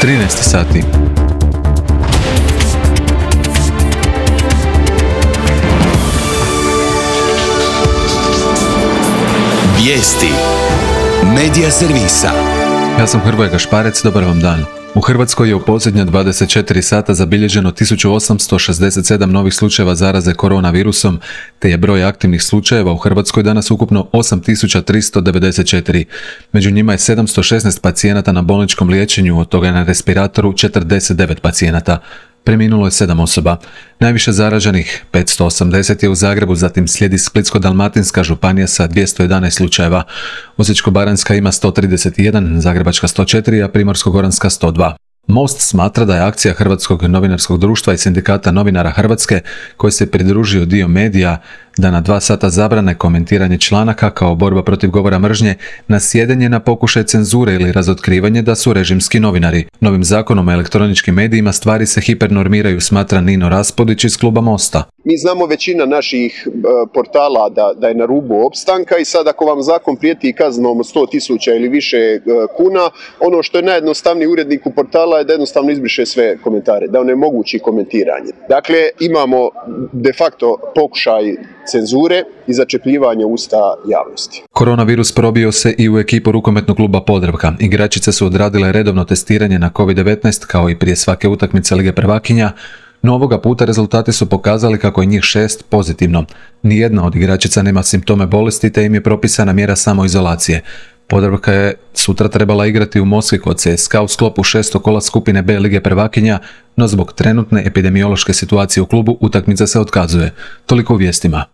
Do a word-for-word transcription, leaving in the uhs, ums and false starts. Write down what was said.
trinaest sati. Vijesti Medija servisa. Ja sam Hrvoje Gašparec, dobar vam dan. U Hrvatskoj je u posljednja dvadeset četiri sata zabilježeno tisuću osamsto šezdeset sedam novih slučajeva zaraze koronavirusom, te je broj aktivnih slučajeva u Hrvatskoj danas ukupno osam tisuća tristo devedeset četiri. Među njima je sedamsto šesnaest pacijenata na bolničkom liječenju, od toga je na respiratoru četrdeset devet pacijenata. Preminulo je sedam osoba. Najviše zaraženih, petsto osamdeset, je u Zagrebu, zatim slijedi Splitsko-dalmatinska županija sa dvjesto jedanaest slučajeva. Osječko-baranjska ima sto trideset jedan, Zagrebačka sto četiri, a Primorsko-goranska sto dva. Most smatra da je akcija Hrvatskog novinarskog društva i sindikata novinara Hrvatske, koji se pridružio dio medija, da na dva sata zabrane komentiranje članaka kao borba protiv govora mržnje, nasjedanje na pokušaj cenzure ili razotkrivanje da su režimski novinari. Novim zakonom o elektroničkim medijima stvari se hipernormiraju, smatra Nino Raspudić iz kluba Mosta. Mi znamo većina naših portala da, da je na rubu opstanka i sad ako vam zakon prijeti kaznom sto tisuća ili više kuna, ono što je najjednostavniji uredniku portala je da jednostavno izbriše sve komentare, da onemogući komentiranje. Dakle, imamo de facto pokušaj cenzure i začepljivanja usta javnosti. Koronavirus probio se i u ekipu rukometnog kluba Podravka. Igračice su odradile redovno testiranje na kovid devetnaest kao i prije svake utakmice Lige prvakinja, no ovoga puta rezultati su pokazali kako je njih šest pozitivno. Nijedna od igračica nema simptome bolesti, te im je propisana mjera samoizolacije. Podravka je sutra trebala igrati u Moskvi kod C S K A u sklopu šestog kola skupine B Lige prvakinja, no zbog trenutne epidemiološke situacije u klubu utakmica se otkazuje. Toliko u vijestima.